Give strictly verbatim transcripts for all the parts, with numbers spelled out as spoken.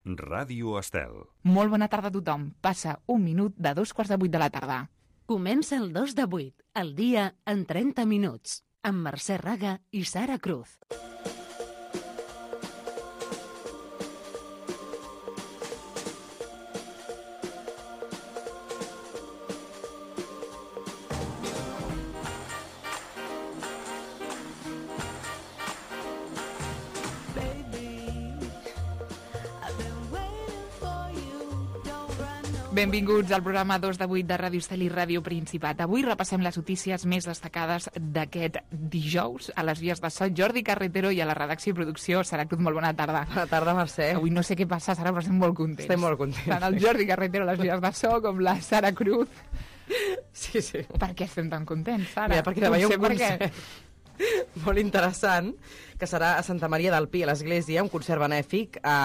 Ràdio Estel. Molt bona tarda a tothom. Passa un minut de dos quarts de vuit de la tarda. Comença el dos de vuit, el dia en trenta minuts, amb Mercè Raga i Sara Cruz. Benvinguts al programa dos de vuit de Ràdio Estel i Ràdio Principat. Avui repassem les notícies més destacades d'aquest dijous. A les vies de so, Jordi Carretero, i a la redacció i producció, Sara Cruz. Molt bona tarda. Bona tarda, Mercè. Avui no sé què passa, Sara, però estem molt contents. Estem molt contents. Tant el Jordi Carretero a les vies de so com la Sara Cruz. Sí, sí. Per què estem tan contents, Sara? Mira, perquè demà hi ha un concert molt interessant, que serà a Santa Maria del Pi, a l'església, un concert benèfic, a,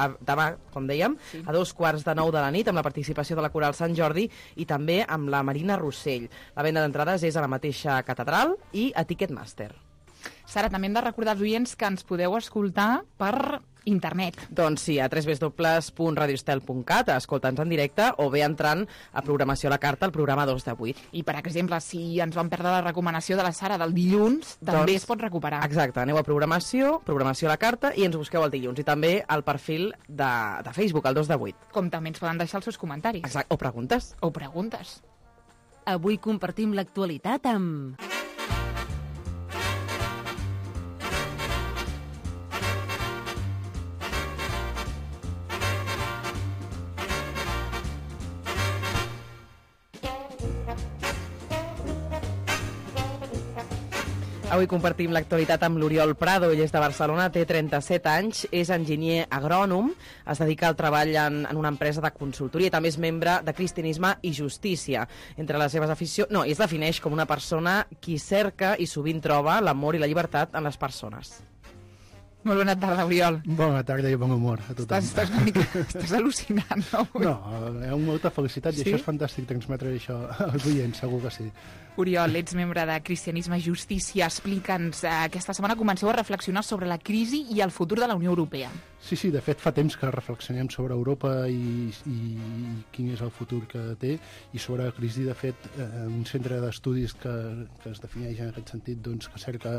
a, demà, com dèiem, sí. a dos quarts de nou de la nit, amb la participació de la Coral Sant Jordi i també amb la Marina Rossell. La venda d'entrades és a la mateixa catedral i a Ticketmaster. Sara, també hem de recordar als oients que ens podeu escoltar per internet. Doncs sí, a w w w punt radio estel punt cat, escolta'ns en directe, o bé entrant a Programació a la Carta, al programa dos de vuit. I, per exemple, si ens vam perdre la recomanació de la Sara del dilluns, també doncs, es pot recuperar. Exacte, aneu a Programació, Programació a la Carta, i ens busqueu el dilluns. I també al perfil de, de Facebook, el dos de vuit. Com també ens poden deixar els seus comentaris. Exacte, o preguntes. O preguntes. Avui compartim l'actualitat amb... Avui compartim l'actualitat amb l'Oriol Prado. Ell és de Barcelona, té trenta-set anys, és enginyer agrònom, es dedica al treball en, en una empresa de consultoria i també és membre de Cristianisme i Justícia. Entre les seves aficions... No, i es defineix com una persona qui cerca i sovint troba l'amor i la llibertat en les persones. Molt bona tarda, Oriol. Bona tarda i bon humor a tothom. Estàs, estàs, una mica, estàs al·lucinant, no? No, hi ha molta felicitat i sí? això és fantàstic, transmetre això als oients, segur que sí. Oriol, ets membre de Cristianisme i Justícia. Explica'ns, eh, aquesta setmana comenceu a reflexionar sobre la crisi i el futur de la Unió Europea. Sí, sí, de fet fa temps que reflexionem sobre Europa i, i, i quin és el futur que té, i sobre la crisi, de fet, eh, un centre d'estudis que, que es defineix en aquest sentit, doncs, que cerca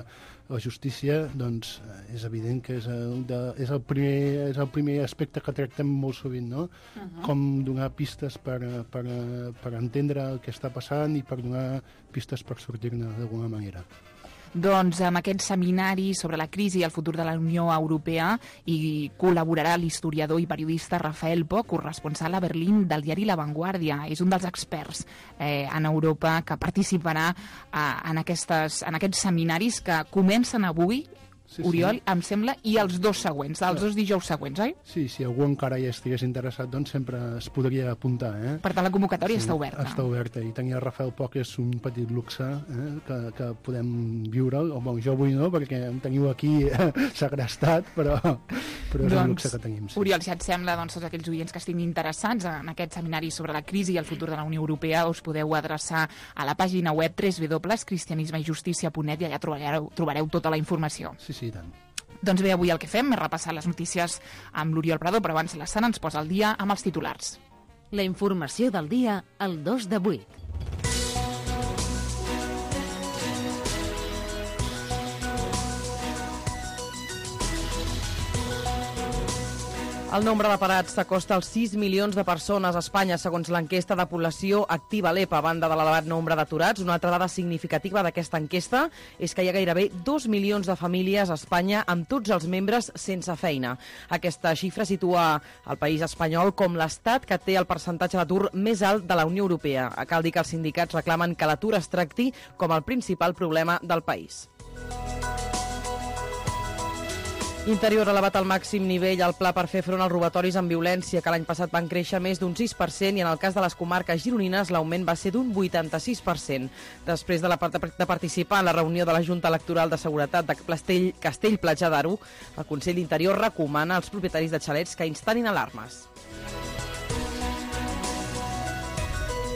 la justícia, doncs és evident que és el, de, és el, primer, és el primer aspecte que tractem molt sovint, no? Uh-huh. Com donar pistes per, per, per entendre el que està passant i per donar pistes per sortir-ne d'alguna manera. Doncs amb aquest seminari sobre la crisi i el futur de la Unió Europea hi col·laborarà l'historiador i periodista Rafael Poch, corresponsal a Berlín del diari La Vanguardia. És un dels experts eh, en Europa que participarà eh, en, aquestes, en aquests seminaris que comencen avui, sí, Oriol, sí. Em sembla, i els dos següents, els dos dijous següents, oi? Sí, si algú encara hi estigués interessat, doncs sempre es podria apuntar, eh? Per tant, la convocatòria sí, està oberta. Està oberta, i tenir el Rafael Poch és un petit luxe, eh? que, que podem viure'l, o bon, jo avui no, perquè em teniu aquí eh, segrestat, però, però és doncs, un luxe que tenim. Sí. Oriol, si et sembla, doncs, tots aquells oients que estiguin interessats en aquest seminari sobre la crisi i el futur de la Unió Europea, us podeu adreçar a la pàgina web w w w punt cristianisme i justícia punt net i allà trobareu, trobareu tota la informació. Sí, sí, tant. Doncs bé, avui el que fem és repassar les notícies amb l'Oriol Prado, però abans la Sara ens posa al dia amb els titulars. La informació del dia al dos de vuit. El nombre de parats s'acosta als sis milions de persones a Espanya, segons l'enquesta de població activa l'E P A. A banda de l'elevat nombre d'aturats, una altra dada significativa d'aquesta enquesta és que hi ha gairebé dos milions de famílies a Espanya amb tots els membres sense feina. Aquesta xifra situa el país espanyol com l'estat que té el percentatge d'atur més alt de la Unió Europea. Cal dir que els sindicats reclamen que l'atur es tracti com el principal problema del país. Interior ha elevat al màxim nivell el pla per fer front als robatoris amb violència, que l'any passat van créixer més d'un sis per cent i en el cas de les comarques gironines l'augment va ser d'un vuitanta-sis per cent. Després de, la, de participar en la reunió de la Junta Electoral de Seguretat de Castell, Castell-Platja d'Aro, el Consell d'Interior recomana als propietaris de xalets que instal·lin alarmes.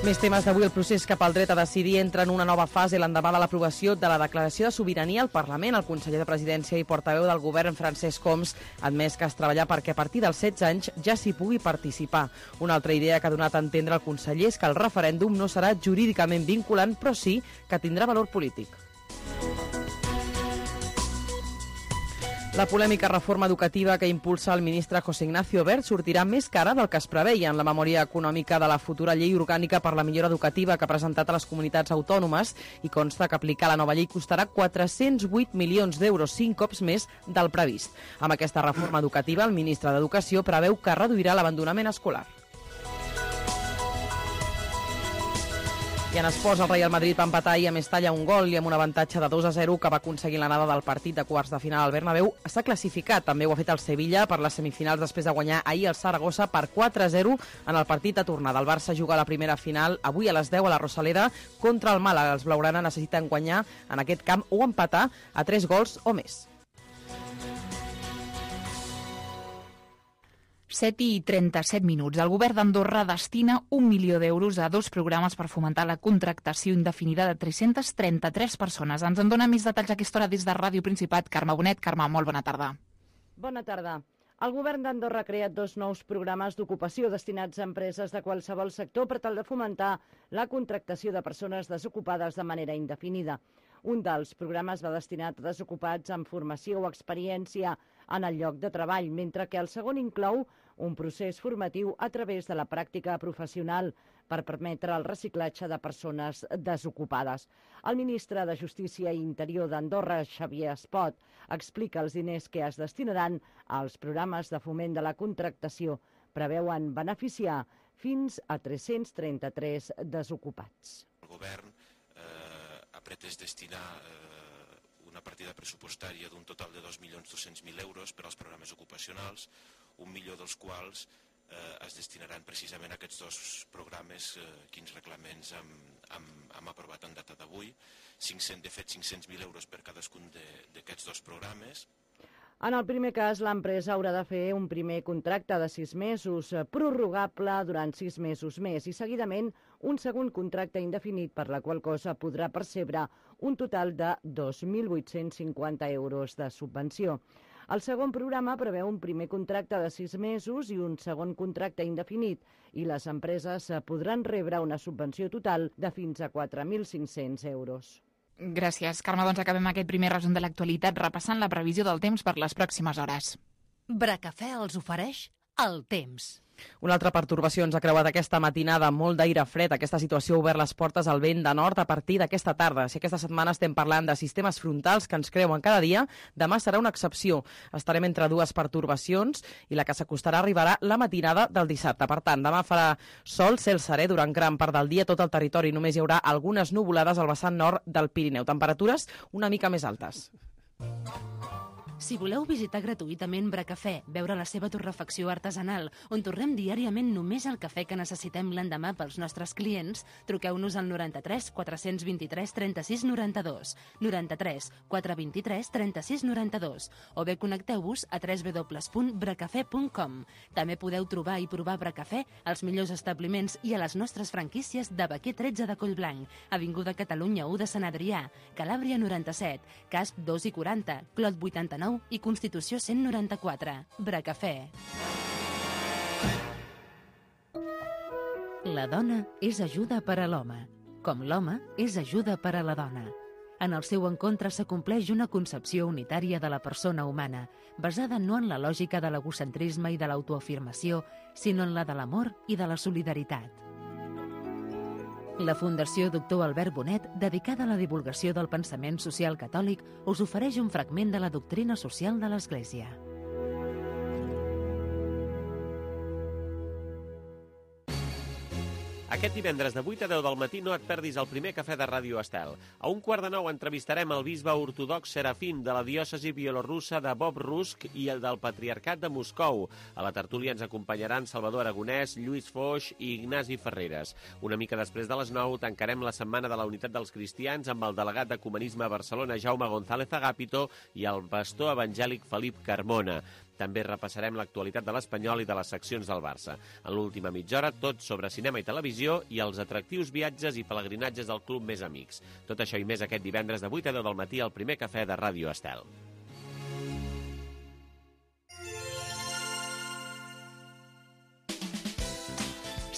Més temes d'avui. El procés cap al dret a decidir entra en una nova fase l'endemà de l'aprovació de la declaració de sobirania al Parlament. El conseller de Presidència i portaveu del govern, Francesc Homs, ha admès que es treballa perquè a partir dels setze anys ja s'hi pugui participar. Una altra idea que ha donat a entendre el conseller és que el referèndum no serà jurídicament vinculant, però sí que tindrà valor polític. La polèmica reforma educativa que impulsa el ministre José Ignacio Wert sortirà més cara del que es preveia en la memòria econòmica de la futura llei orgànica per la millora educativa que ha presentat a les comunitats autònomes, i consta que aplicar la nova llei costarà quatre-cents vuit milions d'euros, cinc cops més del previst. Amb aquesta reforma educativa, el ministre d'Educació preveu que reduirà l'abandonament escolar. I en esports, el Real Madrid va empatar ahir a Mestalla un gol i amb un avantatge de dos a zero que va aconseguir l'anada del partit de quarts de final al Bernabéu. S'ha classificat, també ho ha fet el Sevilla per les semifinals després de guanyar ahir el Saragossa per quatre a zero en el partit de tornada. El Barça juga a la primera final avui a les deu a la Rosaleda contra el Màlaga. Els blaugrana necessiten guanyar en aquest camp o empatar a tres gols o més. set i trenta-set minuts. El govern d'Andorra destina un milió d'euros a dos programes per fomentar la contractació indefinida de tres-centes trenta-tres persones. Ens en dona més detalls a aquesta hora des de Ràdio Principat. Carme Bonet. Carme, molt bona tarda. Bona tarda. El govern d'Andorra ha creat dos nous programes d'ocupació destinats a empreses de qualsevol sector per tal de fomentar la contractació de persones desocupades de manera indefinida. Un dels programes va destinat a desocupats amb formació o experiència en el lloc de treball, mentre que el segon inclou un procés formatiu a través de la pràctica professional per permetre el reciclatge de persones desocupades. El ministre de Justícia i Interior d'Andorra, Xavier Espot, explica els diners que es destinaran als programes de foment de la contractació. Preveuen beneficiar fins a tres-cents trenta-tres desocupats. El govern eh, ha pretès destinar eh, una partida pressupostària d'un total de dos milions dos-cents mil euros per als programes ocupacionals, un milió dels quals eh, es destinaran precisament a aquests dos programes eh, quins reglaments hem, hem, hem aprovat en data d'avui. De fet, cinc-cents mil euros per cadascun d'aquests dos programes. En el primer cas, l'empresa haurà de fer un primer contracte de sis mesos, prorrogable durant sis mesos més, i seguidament un segon contracte indefinit, per la qual cosa podrà percebre un total de dos mil vuit-cents cinquanta euros de subvenció. El segon programa preveu un primer contracte de sis mesos i un segon contracte indefinit, i les empreses podran rebre una subvenció total de fins a quatre mil cinc-cents euros. Gràcies, Carme. Doncs acabem aquest primer resum de l'actualitat repassant la previsió del temps per les pròximes hores. Bracafè els ofereix el temps. Una altra pertorbació ens ha creuat aquesta matinada, molt d'aire fred. Aquesta situació ha obert les portes al vent de nord a partir d'aquesta tarda. Si aquesta setmana estem parlant de sistemes frontals que ens creuen cada dia, demà serà una excepció. Estarem entre dues pertorbacions i la que s'acostarà arribarà la matinada del dissabte. Per tant, demà farà sol, cel serè durant gran part del dia, tot el territori. Només hi haurà algunes nuvolades al vessant nord del Pirineu. Temperatures una mica més altes. Si voleu visitar gratuïtament Bracafè, veure la seva torrefacció artesanal, on torrem diàriament només el cafè que necessitem l'endemà pels nostres clients, truqueu-nos al noranta-tres quatre-cents vint-i-tres trenta-sis noranta-dos, noranta-tres quatre vint-i-tres trenta-sis noranta-dos, o bé connecteu-vos a w w w punt bracafè punt com. També podeu trobar i provar Bracafè als millors establiments i a les nostres franquícies de Baquer tretze de Collblanc, Avinguda Catalunya u de Sant Adrià, Calàbria noranta-set, Casp dos i quaranta, Clot vuitanta-nou i Constitució cent noranta-quatre. Bracafè. La dona és ajuda per a l'home, com l'home és ajuda per a la dona. En el seu encontre s'acompleix una concepció unitària de la persona humana, basada no en la lògica de l'egocentrisme i de l'autoafirmació, sinó en la de l'amor i de la solidaritat. La Fundació Doctor Albert Bonet, dedicada a la divulgació del pensament social catòlic, us ofereix un fragment de la doctrina social de l'Església. Aquest divendres de vuit a deu del matí no et perdis el primer cafè de Ràdio Estel. A un quart de nou entrevistarem el bisbe ortodox Serafim de la diòcesi bielorussa de Bob Rusk i el del Patriarcat de Moscou. A la tertúlia ens acompanyaran Salvador Aragonès, Lluís Foix i Ignasi Ferreres. Una mica després de les nou tancarem la Setmana de la Unitat dels Cristians amb el delegat d'Ecumenisme a Barcelona, Jaume González Agapito, i el pastor evangèlic Felip Carmona. També repassarem l'actualitat de l'Espanyol i de les seccions del Barça. En l'última mitja hora, tot sobre cinema i televisió i els atractius viatges i pelegrinatges del Club Més Amics. Tot això i més aquest divendres de vuit a deu del matí al primer cafè de Ràdio Estel.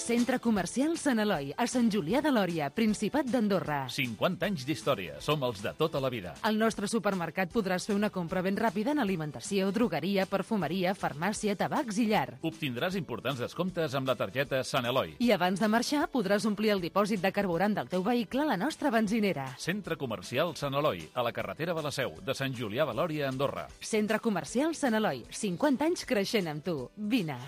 Centre Comercial Sant Eloi, a Sant Julià de Lòria, Principat d'Andorra. cinquanta anys d'història. Som els de tota la vida. Al nostre supermercat podràs fer una compra ben ràpida en alimentació, drogueria, perfumeria, farmàcia, tabacs i llar. Obtindràs importants descomptes amb la targeta Sant Eloi. I abans de marxar podràs omplir el dipòsit de carburant del teu vehicle a la nostra benzinera. Centre Comercial Sant Eloi, a la carretera de la Seu, de Sant Julià de Lòria, Andorra. Centre Comercial Sant Eloi, cinquanta anys creixent amb tu. Vine.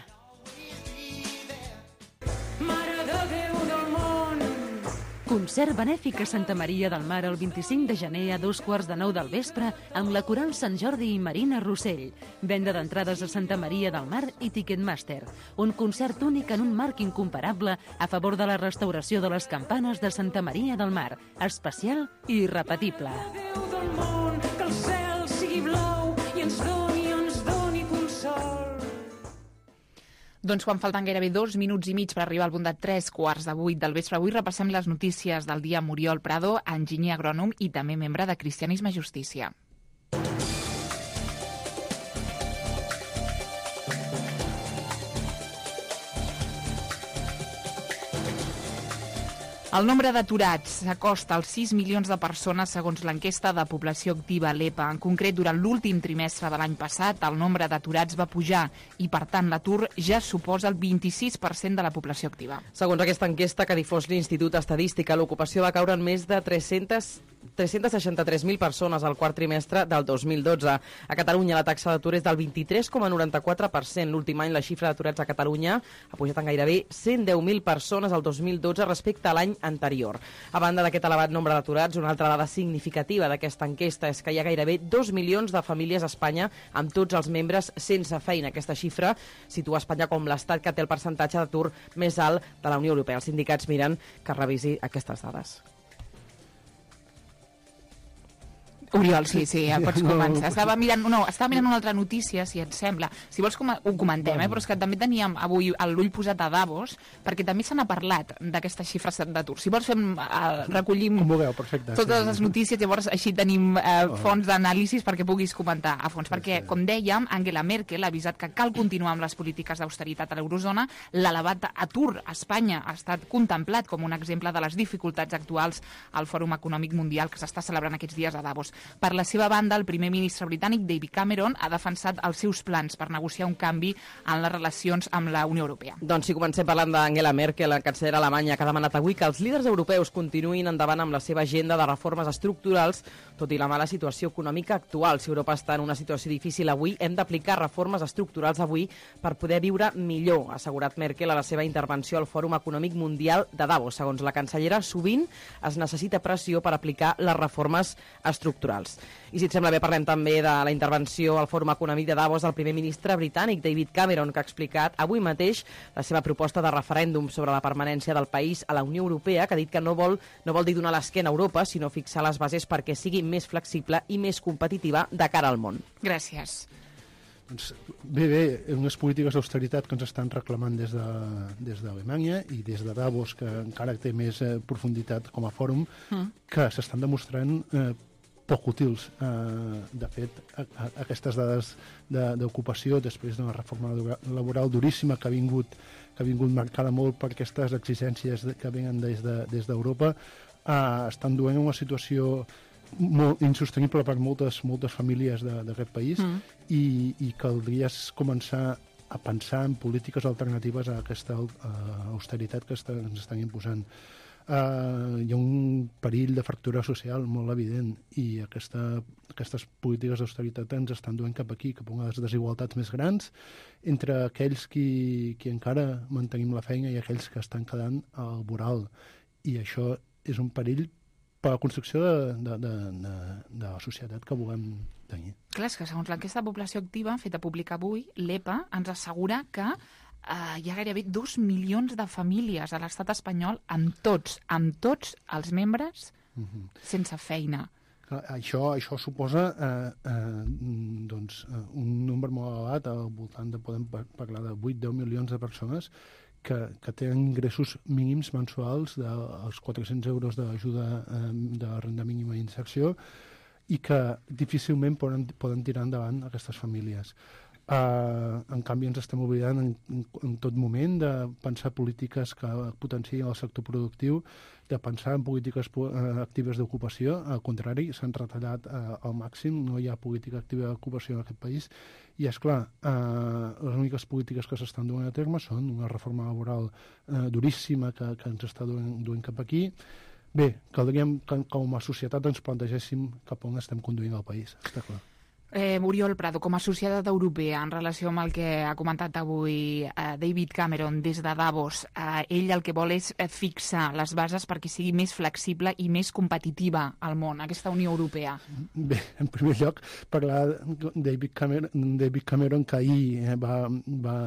Concert benèfic a Santa Maria del Mar el vint-i-cinc de gener a dos quarts de nou del vespre amb la Coral Sant Jordi i Marina Rossell. Venda d'entrades a Santa Maria del Mar i Ticketmaster. Un concert únic en un marc incomparable a favor de la restauració de les campanes de Santa Maria del Mar. Especial i irrepetible. Déu del món, que el cel sigui blau i ens doni, ens doni consol. Doncs quan falten gairebé dos minuts i mig per arribar al punt de tres quarts de vuit del vespre, avui repassem les notícies del dia. Muriol Prado, enginyer agrònom i també membre de Cristianisme i Justícia. El nombre d'aturats s'acosta als sis milions de persones segons l'enquesta de població activa l'E P A. En concret, durant l'últim trimestre de l'any passat, el nombre d'aturats va pujar i, per tant, l'atur ja suposa el vint-i-sis per cent de la població activa. Segons aquesta enquesta que difós l'Institut Estadística, l'ocupació va caure en més de tres-cents seixanta-tres mil persones al quart trimestre del dos mil dotze. A Catalunya la taxa d'atur és del vint-i-tres coma noranta-quatre per cent. L'últim any la xifra d'aturats a Catalunya ha pujat en gairebé cent deu mil persones al dos mil dotze respecte a l'any anterior. A banda d'aquest elevat nombre d'aturats, una altra dada significativa d'aquesta enquesta és que hi ha gairebé dos milions de famílies a Espanya amb tots els membres sense feina. Aquesta xifra situa Espanya com l'estat que té el percentatge d'atur més alt de la Unió Europea. Els sindicats miren que revisi aquestes dades. Oriol, sí, sí, ja pots començar. Estava mirant, no, estava mirant una altra notícia, si et sembla. Si vols com ho comentem, eh? Però és que també teníem avui l'ull posat a Davos, perquè també se n'ha parlat d'aquestes xifres d'atur. Si vols fem, uh, recollim vulgueu, perfecte, totes sí. les notícies, llavors així tenim uh, fons d'anàlisis perquè puguis comentar a fons. Perquè, com dèiem, Angela Merkel ha avisat que cal continuar amb les polítiques d'austeritat a l'eurozona. L'elevat atur a Espanya ha estat contemplat com un exemple de les dificultats actuals al Fòrum Econòmic Mundial que s'està celebrant aquests dies a Davos. Per la seva banda, el primer ministre britànic, David Cameron, ha defensat els seus plans per negociar un canvi en les relacions amb la Unió Europea. Doncs si comencem parlant d'Angela Merkel, la cancellera alemanya, que ha demanat avui que els líders europeus continuïn endavant amb la seva agenda de reformes estructurals, tot i la mala situació econòmica actual. Si Europa està en una situació difícil avui, hem d'aplicar reformes estructurals avui per poder viure millor, ha assegurat Merkel a la seva intervenció al Fòrum Econòmic Mundial de Davos. Segons la cancellera, sovint es necessita pressió per aplicar les reformes estructurals. I si et sembla bé, parlem també de la intervenció al Fòrum Econòmic de Davos del primer ministre britànic, David Cameron, que ha explicat avui mateix la seva proposta de referèndum sobre la permanència del país a la Unió Europea, que ha dit que no vol, no vol dir donar l'esquena a Europa, sinó fixar les bases perquè sigui més flexible i més competitiva de cara al món. Gràcies. Doncs, bé, bé, unes polítiques d'austeritat que ens estan reclamant des de, des d'Alemanya i des de Davos, que encara té més eh, profunditat com a fòrum, mm. que s'estan demostrant eh, poc útils. Eh, de fet, a, a, aquestes dades d'ocupació, de, després d'una reforma laboral duríssima que ha vingut, que ha vingut marcada molt per aquestes exigències de, que venen des d'Europa, de, eh, estan duent una situació molt insostenible per moltes, moltes famílies d'aquest país mm. i, i caldria començar a pensar en polítiques alternatives a aquesta uh, austeritat que està, ens estan imposant. Uh, hi ha un perill de fractura social molt evident i aquesta, aquestes polítiques d'austeritat ens estan duent cap aquí, cap a unes desigualtats més grans entre aquells qui, qui encara mantenim la feina i aquells que estan quedant al voral. I això és un perill per la construcció de, de, de, de, de la societat que volem tenir. Clar, és que segons l'enquesta de població activa feta pública avui, l'E P A ens assegura que Uh, hi ha gairebé dos milions de famílies a l'estat espanyol amb tots, amb tots els membres uh-huh. sense feina. Això, això suposa eh, eh, doncs, un nombre molt elevat, al voltant de, podem parlar de vuit a deu milions de persones que, que tenen ingressos mínims mensuals dels quatre-cents euros d'ajuda eh, de renda mínima d'inserció i que difícilment poden, poden tirar endavant aquestes famílies. Uh, en canvi, ens estem oblidant en, en, en tot moment de pensar polítiques que potenciïn el sector productiu, de pensar en polítiques uh, actives d'ocupació. Al contrari, s'han retallat uh, al màxim, no hi ha política activa d'ocupació en aquest país. I, és clar, uh, les úniques polítiques que s'estan duent a terme són una reforma laboral uh, duríssima que, que ens està duent, duent cap aquí. Bé, caldria que com a societat ens plantegéssim cap on estem conduint el país, està clar. Eh, Oriol Prado, com a societat europea, en relació amb el que ha comentat avui eh, David Cameron des de Davos, eh, ell el que vol és fixar les bases perquè sigui més flexible i més competitiva al món, aquesta Unió Europea. Bé, en primer lloc, parlar de David Cameron, David Cameron que ahir va, va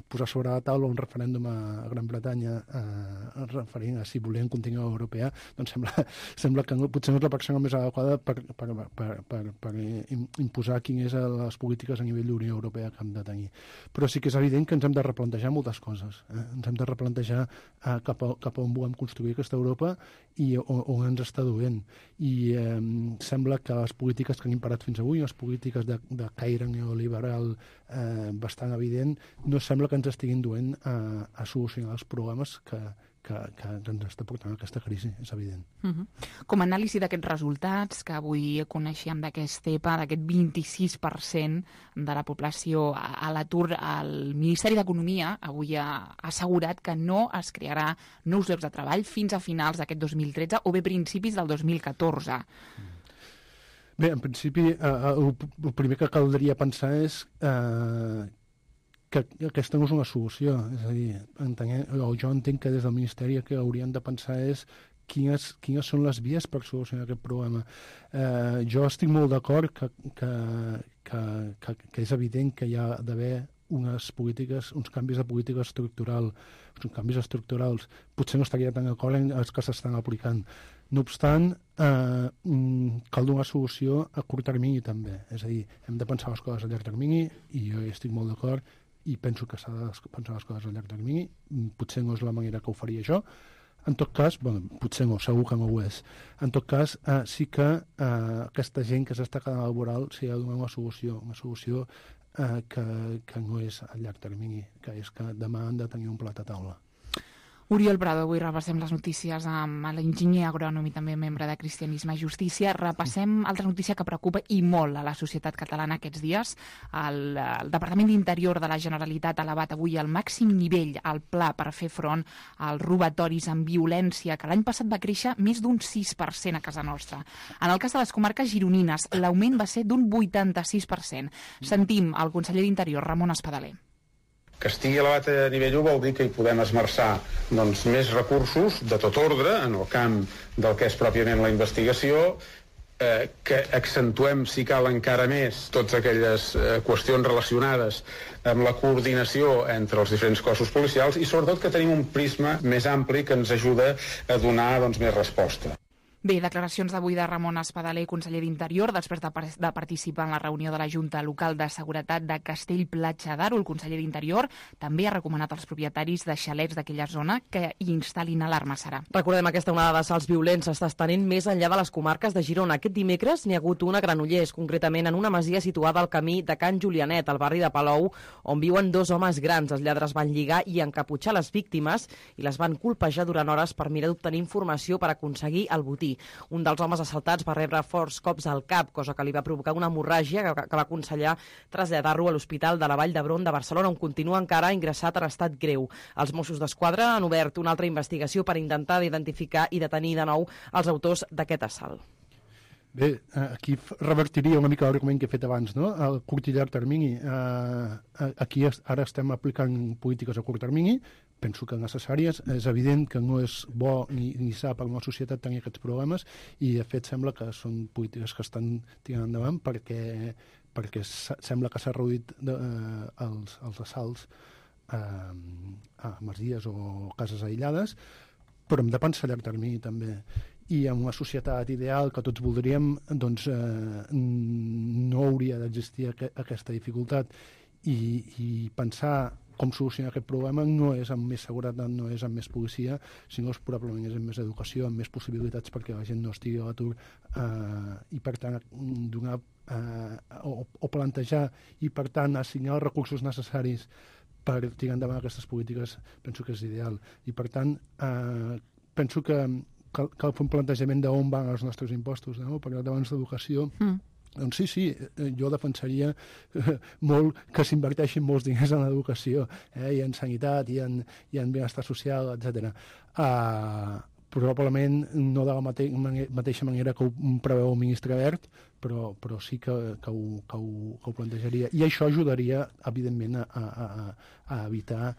posar sobre la taula un referèndum a Gran Bretanya eh, referint a si volien continuar a la europea, doncs sembla, sembla que no, potser no és la persona més adequada per, per, per, per, per imposar quines són les polítiques a nivell d'Unió Europea que hem de tenir. Però sí que és evident que ens hem de replantejar moltes coses. Eh? Ens hem de replantejar eh, cap, a, cap a on volem construir aquesta Europa i on, on ens està duent. I eh, sembla que les polítiques que han imparat fins avui, les polítiques de, de caire neoliberal eh, bastant evident, no sembla que ens estiguin duent a, a solucionar els problemes que Que, que ens està portant aquesta crisi, és evident. Uh-huh. Com a anàlisi d'aquests resultats, que avui coneixíem d'aquest E P A, d'aquest vint-i-sis per cent de la població a l'atur, el Ministeri d'Economia avui ha assegurat que no es crearà nous llocs de treball fins a finals d'aquest dos mil tretze o bé principis del dos mil catorze. Bé, en principi, eh, el, el primer que caldria pensar és eh, que aquesta no és una solució. És a dir, entenc, o jo entenc que des del Ministeri el que haurien de pensar és quines, quines són les vies per solucionar aquest problema. Eh, jo estic molt d'acord que, que, que, que, que és evident que hi ha d'haver unes polítiques, uns canvis de política estructural, uns canvis estructurals. Potser no estaria tan d'acord en els que s'estan aplicant. No obstant, eh, cal donar solució a curt termini també. És a dir, hem de pensar les coses a llarg termini i jo hi estic molt d'acord i penso que s'ha de pensar les coses a llarg termini. Potser no és la manera que ho faria jo. En tot cas, bueno, potser no, segur que no ho és. En tot cas, eh, sí que eh, aquesta gent que s'està quedant laboral s'hi ha de donar una solució, una solució eh, que, que no és a llarg termini, que és que demà han de tenir un plat a taula. Oriol Prado, avui repassem les notícies amb l'enginyer agrònom i també membre de Cristianisme i Justícia. Repassem altra notícia que preocupa i molt a la societat catalana aquests dies. El, el Departament d'Interior de la Generalitat ha elevat avui al màxim nivell el pla per fer front als robatoris amb violència, que l'any passat va créixer més d'un sis per cent a casa nostra. En el cas de les comarques gironines, l'augment va ser d'un vuitanta-sis per cent. Sentim el conseller d'Interior, Ramon Espadaler. Que estigui elevat a nivell u vol dir que hi podem esmerçar doncs, més recursos de tot ordre en el camp del que és pròpiament la investigació, eh, que accentuem, si cal encara més, totes aquelles eh, qüestions relacionades amb la coordinació entre els diferents cossos policials i sobretot que tenim un prisma més ampli que ens ajuda a donar doncs, més resposta. Bé, declaracions d'avui de Ramon Espadaler, conseller d'Interior, després de, de participar en la reunió de la Junta Local de Seguretat de Castell-Platja d'Aro. El conseller d'Interior també ha recomanat als propietaris de xalets d'aquella zona que hi instal·lin alarmes, Sara. Recordem, aquesta onada d'assalts violents s'està estenent més enllà de les comarques de Girona. Aquest dimecres n'hi ha hagut una a Granollers, concretament en una masia situada al camí de Can Julianet, al barri de Palou, on viuen dos homes grans. Els lladres van lligar i encaputxar les víctimes i les van colpejar durant hores per mirar d'obtenir informació per aconseguir el botí. Un dels homes assaltats va rebre forts cops al cap, cosa que li va provocar una hemorràgia que, que va aconsellar traslladar-lo a l'Hospital de la Vall d'Hebron de Barcelona, on continua encara ingressat en estat greu. Els Mossos d'Esquadra han obert una altra investigació per intentar identificar i detenir de nou els autors d'aquest assalt. Bé, aquí revertiria una mica l'argument que he fet abans, no? El curt i llarg termini. Aquí ara estem aplicant polítiques a curt termini, penso que necessàries. És evident que no és bo ni, ni sa per una societat tenir aquests problemes i, de fet, sembla que són polítiques que estan tirant endavant perquè, perquè sembla que s'ha reduït de, eh, els, els assalts eh, a masies o cases aïllades, però hem de pensar a llarg termini també. i en una societat ideal que tots voldríem, doncs eh, no hauria d'existir aqu aquesta dificultat, i, i pensar com solucionar aquest problema no és amb més seguretat, no és amb més policia, sinó és probablement és amb més educació, amb més possibilitats perquè la gent no estigui a l'atur, eh, i per tant donar eh, o, o plantejar i per tant assignar els recursos necessaris per tirar endavant aquestes polítiques, penso que és ideal. I per tant eh, penso que cal, cal fer un plantejament d'on van els nostres impostos, no? Perquè abans d'educació mm. Doncs sí, sí, jo defensaria molt que s'inverteixin molts diners en l'educació, eh, i en sanitat, i en, i en benestar social, etcètera. Uh, probablement no de la mate mateixa manera que ho preveu el ministre Wert, però, però sí que, que, ho, que, ho, que ho plantejaria. I això ajudaria, evidentment, a, a, a evitar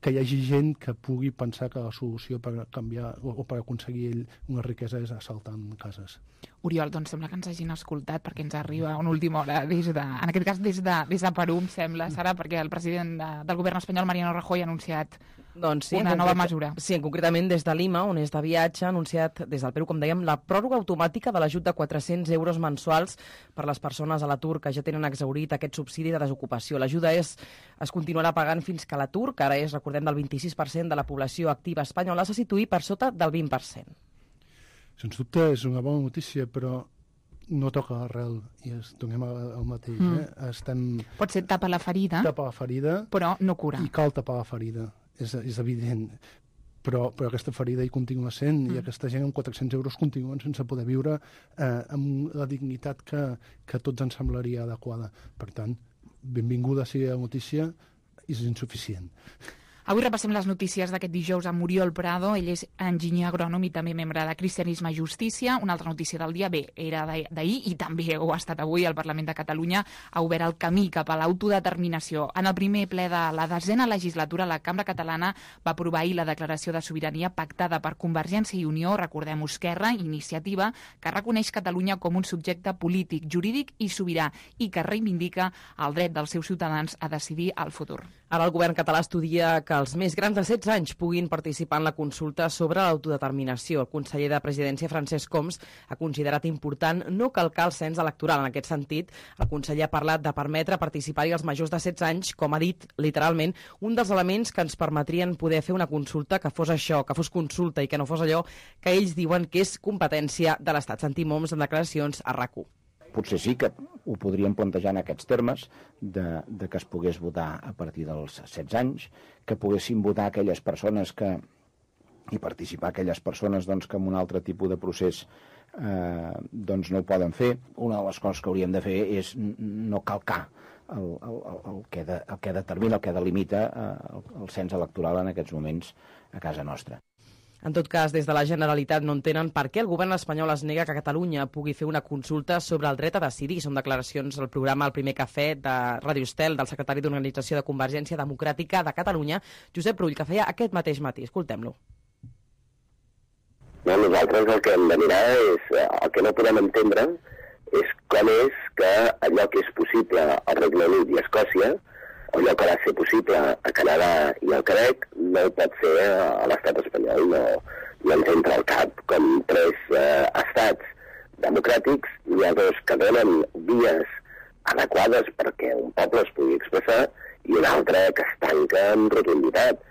que hi hagi gent que pugui pensar que la solució per canviar o per aconseguir una riquesa és assaltant cases. Oriol, doncs sembla que ens hagin escoltat perquè ens arriba una última hora des de, en aquest cas des de, des de Perú, em sembla, Sara, perquè el president de, del govern espanyol, Mariano Rajoy, ha anunciat doncs sí, una nova mesura. Sí, concretament des de Lima, on és de viatge, ha anunciat des del Perú, com dèiem, la pròrroga automàtica de l'ajut de quatre-cents euros mensuals per les persones a l'atur que ja tenen exhaurit aquest subsidi de desocupació. L'ajuda és es continuarà pagant fins que l'atur, que ara és, recordem, del vint-i-sis per cent de la població activa espanyola, se situï per sota del vint per cent. Sens dubte és una bona notícia, però no toca l'arrel i es donem el mateix. Mm. Eh? Estem... Pot ser tapa la ferida, tapa la ferida, però no cura. I cal tapar la ferida, és, és evident. Però, però aquesta ferida hi continua sent, mm. i aquesta gent amb quatre-cents euros continuen sense poder viure eh, amb la dignitat que, que tots ens semblaria adequada. Per tant, benvinguda sigui la notícia, és insuficient. Avui repassem les notícies d'aquest dijous amb Oriol Prado. Ell és enginyer agrònom i també membre de Cristianisme i Justícia. Una altra notícia del dia, bé, era d'ahir i també ho ha estat avui. El Parlament de Catalunya ha obert el camí cap a l'autodeterminació. En el primer ple de la desena legislatura, la Cambra Catalana va aprovar ahir la declaració de sobirania pactada per Convergència i Unió, recordem Esquerra, Iniciativa, que reconeix Catalunya com un subjecte polític, jurídic i sobirà i que reivindica el dret dels seus ciutadans a decidir el futur. Ara el govern català estudia que els més grans de setze anys puguin participar en la consulta sobre l'autodeterminació. El conseller de Presidència, Francesc Homs, ha considerat important no calcar el cens electoral. En aquest sentit, el conseller ha parlat de permetre participar-hi als majors de setze anys, com ha dit literalment, un dels elements que ens permetrien poder fer una consulta que fos això, que fos consulta i que no fos allò que ells diuen que és competència de l'Estat. Sentim Homs en declaracions a RAC u. Potser sí que ho podríem plantejar en aquests termes, de, de que es pogués votar a partir dels setze anys, que poguessin votar aquelles persones que, i participar aquelles persones doncs, que en un altre tipus de procés eh, doncs no ho poden fer. Una de les coses que hauríem de fer és no calcar el, el, el, que, de, el que determina, el que delimita eh, el, el cens electoral en aquests moments a casa nostra. En tot cas, des de la Generalitat no entenen per què el govern espanyol es nega que Catalunya pugui fer una consulta sobre el dret a decidir. Són declaracions al programa El Primer Cafè de Ràdio Estel del secretari d'Organització de Convergència Democràtica de Catalunya, Josep Rull, que feia aquest mateix matí. Escoltem-lo. No, nosaltres el que hem de mirar és, el que no podem entendre és com és que allò que és possible al Regne Unit i a Escòcia, allò que va ser possible a Canadà i al Quebec, no ho pot ser a l'estat espanyol. No, no ens entra al cap com tres eh, estats democràtics, hi ha dos que donen vies adequades perquè un poble es pugui expressar i un altre que es tanca amb rotunditat.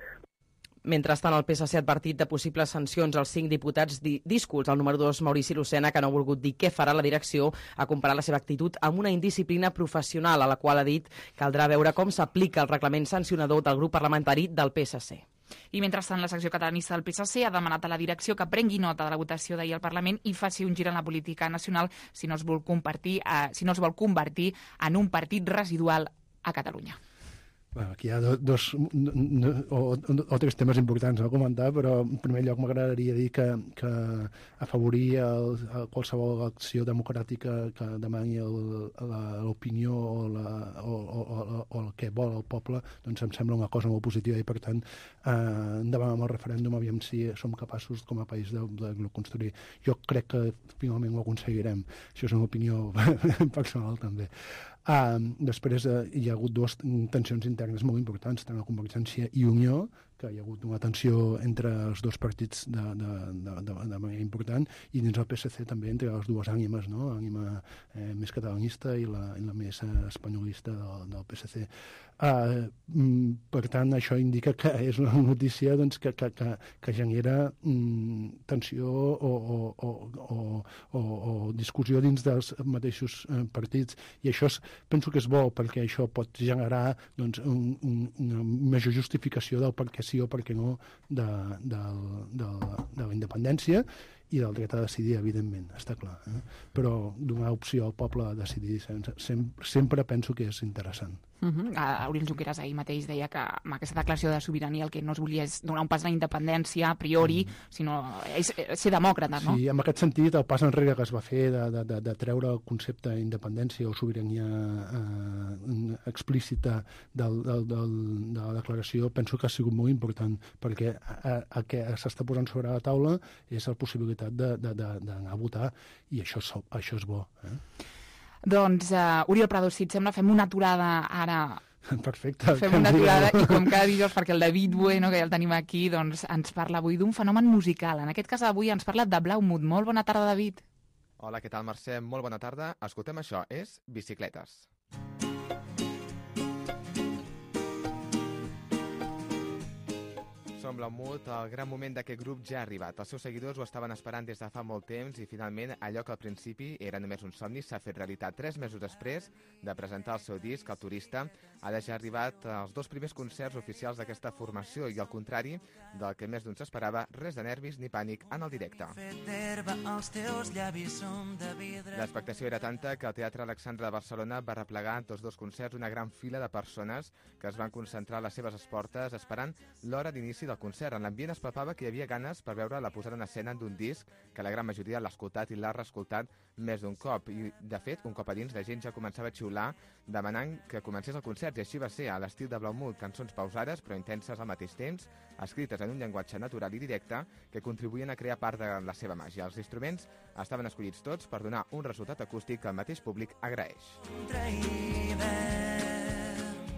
Mentrestant, el P S C ha advertit de possibles sancions als cinc diputats díscols. El número dos, Maurici Lucena, que no ha volgut dir què farà la direcció, ha comparat la seva actitud amb una indisciplina professional, a la qual ha dit caldrà veure com s'aplica el reglament sancionador del grup parlamentari del P S C. I mentrestant, la secció catalanista del P S C ha demanat a la direcció que prengui nota de la votació d'ahir al Parlament i faci un gir en la política nacional si no es vol compartir, eh, si no es vol convertir en un partit residual a Catalunya. Bueno, aquí hi ha dos o, o tres temes importants a comentar, però en primer lloc m'agradaria dir que, que afavorir el, el qualsevol acció democràtica que demani l'opinió o, la, o, o, o, o el que vol el poble, doncs em sembla una cosa molt positiva i per tant eh, endavant amb el referèndum aviam si som capaços com a país de, de, de construir. Jo crec que finalment ho aconseguirem. Això és una opinió personal també. Uh, després uh, hi ha hagut dues tensions internes molt importants, tant a Convergència i Unió, que hi ha hagut una tensió entre els dos partits de, de, de, de, de manera important, i dins el P S C també entre les dues ànimes, no? L'ànima eh, més catalanista i la, i la més eh, espanyolista del, del P S C. Uh, per tant, això indica que és una notícia doncs, que, que, que, que genera mm, tensió o, o, o, o, o, o discussió dins dels mateixos eh, partits, i això és, penso que és bo, perquè això pot generar doncs, un, un, una major justificació del per què sí o per què no de, de, de, de la independència i del dret a decidir, evidentment, està clar. Eh? Però donar opció al poble a decidir sempre, sempre penso que és interessant. Uh-huh. Oriol Junqueras ahir mateix deia que amb aquesta declaració de sobirania el que no es volia és donar un pas a la independència a priori, mm. sinó és, ser demòcrata, no? Sí, en aquest sentit, el pas enrere que es va fer de, de, de, de treure el concepte d'independència o sobirania eh, explícita del, del, del, de la declaració, penso que ha sigut molt important, perquè el que s'està posant sobre la taula és la possibilitat d'anar a votar, i això, això és bo. Eh? Doncs, uh, Oriol Prado, si et sembla, fem una aturada ara. Perfecte. Fem una aturada i com cada dijous, perquè el David Bueno, que ja el tenim aquí, doncs ens parla avui d'un fenomen musical. En aquest cas avui ens parla de Blau Mood. Molt bona tarda, David. Hola, què tal, Mercè? Molt bona tarda. Escoltem això, és Bicicletes. Som Blau Mood, el gran moment d'aquest grup ja ha arribat. Els seus seguidors ho estaven esperant des de fa molt temps i finalment allò que al principi era només un somni s'ha fet realitat. Tres mesos després de presentar el seu disc, El Turista, ara ja ha arribat als dos primers concerts oficials d'aquesta formació i al contrari del que més d'un s'esperava, res de nervis ni pànic en el directe. L'expectació era tanta que el Teatre Alexandra de Barcelona va replegar tots dos concerts una gran fila de persones que es van concentrar a les seves portes esperant l'hora d'inici del concert. En l'ambient es palpava que hi havia ganes per veure la posada en escena d'un disc que la gran majoria l'ha escoltat i l'ha reescoltat més d'un cop. I, de fet, un cop a dins, la gent ja començava a xiular demanant que comencés el concert, i així va ser, a l'estil de Blau Mood, cançons pausades però intenses al mateix temps, escrites en un llenguatge natural i directe que contribuïen a crear part de la seva màgia. Els instruments estaven escollits tots per donar un resultat acústic que el mateix públic agraeix.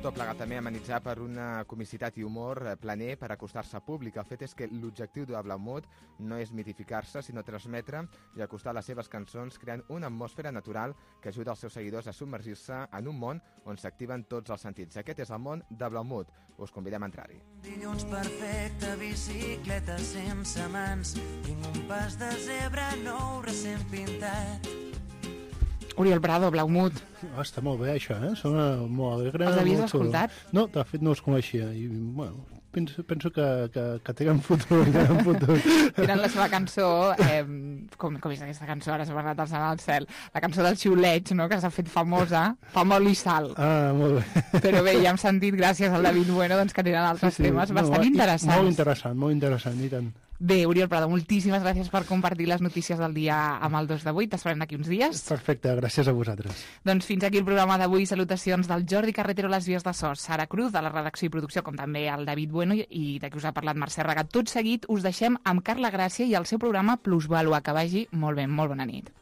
Tot plegat també amenitzar per una comicitat i humor planer per acostar-se al públic. El fet és que l'objectiu de Blau Mood no és mitificar-se, sinó transmetre i acostar les seves cançons creant una atmosfera natural que ajuda els seus seguidors a submergir-se en un món on s'activen tots els sentits. Aquest és el món de Blau Mood. Us convidem a entrar-hi. Dilluns perfecte, bicicleta sense mans, tinc un pas de zebra nou recent pintat. Oriol Prado, Blau Mood. Oh, està molt bé, això, eh? Sona molt alegre. Els havies molt... escoltat? No, de fet no els coneixia. I, bueno, penso, penso que, que, que tenen futur, tenen futur. Tenen la seva cançó, eh, com, com és aquesta cançó, ara s'ha parlat al al cel, la cançó del xiuleig, no?, que s'ha fet famosa, fa molt i sal. Ah, molt bé. Però bé, ja hem sentit, gràcies al David Bueno, doncs, que tenen altres sí, sí. temes bastant no, interessants. Molt interessant, molt interessant, i tant. Bé, Oriol Prado, moltíssimes gràcies per compartir les notícies del dia amb el dos de vuit. T'esperem d'aquí uns dies. Perfecte, gràcies a vosaltres. Doncs fins aquí el programa d'avui. Salutacions del Jordi Carretero a les vies de so, Sara Cruz, de la redacció i producció, com també el David Bueno, i de qui us ha parlat Mercè Regat. Tot seguit us deixem amb Carla Gràcia i el seu programa Plusvàlua. Que vagi molt bé, molt bona nit.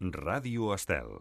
Ràdio Estel.